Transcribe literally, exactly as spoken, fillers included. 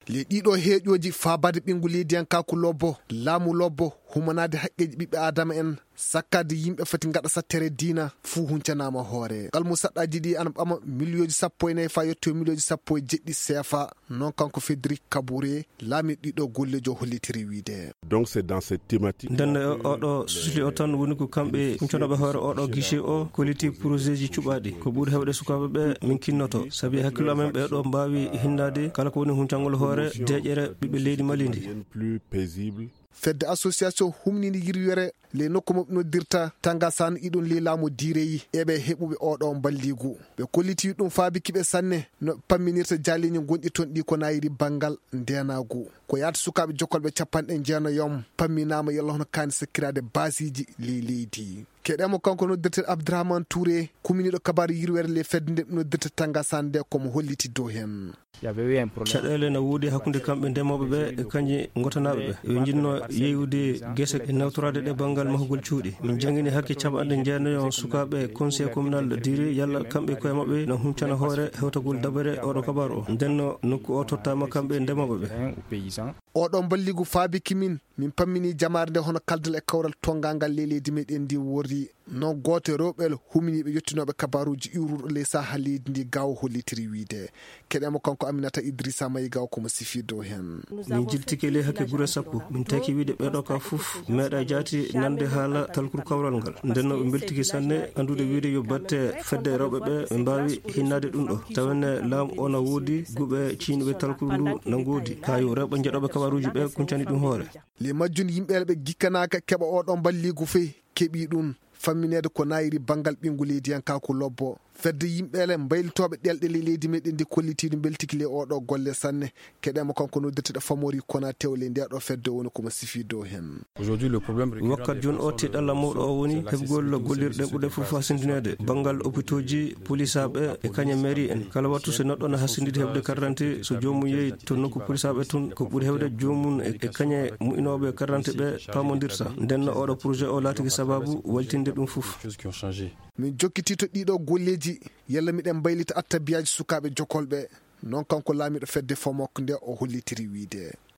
Ley ɗiɗo heeƴooji faabaade ɓinngu leydiyankaaku lobbo, laamu lobbo, humanaade haqqeeji ɓiɓɓe aadama en, sakkaade yimɓe foti ngaɗa sattere diina, fuu huncanaama hoore. Ngal musaɗɗaaji ɗi ana ɓama miliyooji sappo e nayi faa yetto miliyooji sappo e jeɗɗi seefa. Noon kanko Federic Kabore, laamiiɗo ɗiɗo golleejo hollitiri wiide. Donc c'est dans cette thématique. Nden e oɗo susli o tan woni ko kamɓe huncanooɓe hoore oɗo guichet o kolliti projet ji cuɓaaɗi. Ko ɓuri heewde sukaaɓe ɓe min kinnoto. Sabi hakkillo amen ɓe ɗo mbaawi hinnaade kala ko woni huncangol hoore deeƴere ɓiɓɓe leydi Mali ndi. Plus paisible. Fedde association humnini yirwere ley nokku mo ɓe noddirta Tangasan iɗon ley laamu diireyi e ɓe heɓuɓe oɗo mballigu. Ɓe kolliti ɗum faabi kiɓe sanne no pamminirta jaaliñi gonɗi toon ɗi ko nayiri banngal ndenaagu. Ko yaata sukaaɓe jokolɓe capanɗe jeenayom pamminaama yalla hono kaani sakkiraade baasiiji ley leydi. Keɗemo kanko noddirte Abdourahmane Touré, kuminiiɗo kabaaru yirwere ley fedde nde ɓe noddirta Tangasan nde komo holliti dow heen. Caɗeele na woodi hakkunde kamɓe ndemooɓe ɓe e kañƴe ngotanaaɓe ɓe. Ɓe njinnoo yeeyude gese e nawtoraade ɗe banngal mahugol cuuɗi. Min janngini hakke capanɗe jeenayo sukaaɓe conseil communal diire yalla kamɓe koye maɓɓe no huncana hoore hewtagol dabere oɗo kabaaru o. Ndenno nokku o tottaama kamɓe ndemooɓe ɓe. Oɗo mballigu faabi kimin, min pammini jamaare nde hono kaldal e kawral tonngangal ley leydi meɗen ndi worri. Noon gooto e rewɓe huminiiɓe yottinooɓe kabaaruuji iwruɗo ley saha leydi ndi gawo hollitiri wiide. Keɗemo kanko Aminata Idrissa Mayiga o komo sifi dow heen. Min jiltike ley hakke gure sappo. Min taki wiide ɓeɗo ka fof meeɗa jaati nande haala talkuru kawral ngal. Ndenno ɓe mbeltike sanne anndude wiide yo batte fedde rewɓe ɓe ɓe mbaawi hinnaade ɗum ɗo. Tawenne laamu o na woodi guɓe ciiniɓe talkuru ndu na ngoodi. Kayo rewɓe njeɗoɓe kabaaruuji ɓe kuncani ɗum hoore. Ley majjum yimɓe ɓe gikkanaaka keɓa oɗo mballigu fey keɓi ɗum. Fammineede ko nayiri banngal ɓinngu leydiyankaaku lobbo. Fedde yimɓe ele mbaylitooɓe ɗelɗe ley leydi meɗen ndi kollitiiɗo mbeltiki ley oɗo golle sanne. Keɗemo kanko noddirteɗo Famori Konaté o ley ndeɗo fedde woni komo sifi dow heen. Wakkat jooni o tiɗalla mawɗo o woni heɓgol gollirɗe ɓurɗe fof hasindineede banngal opitooji, polisaaɓe e kañe mairie en. Kala wattu so neɗɗo na hasindidi heɓde carte d'identité, so joomum yehi to nokku polisaaɓe tun, ko ɓuri heewde joomum e e kañe mu'inooɓe carte d'identité ɓe paamondirta. Ndenno oɗo projet o laatiki sababu waltinde ɗum fof. Min jokkiti to ɗiɗo golleeji, yalla miɗen mbaylita attabiyaaji sukaaɓe jokolɓe. Noon kanko laamiiɗo fedde Fomok nde o hollitiri wiide.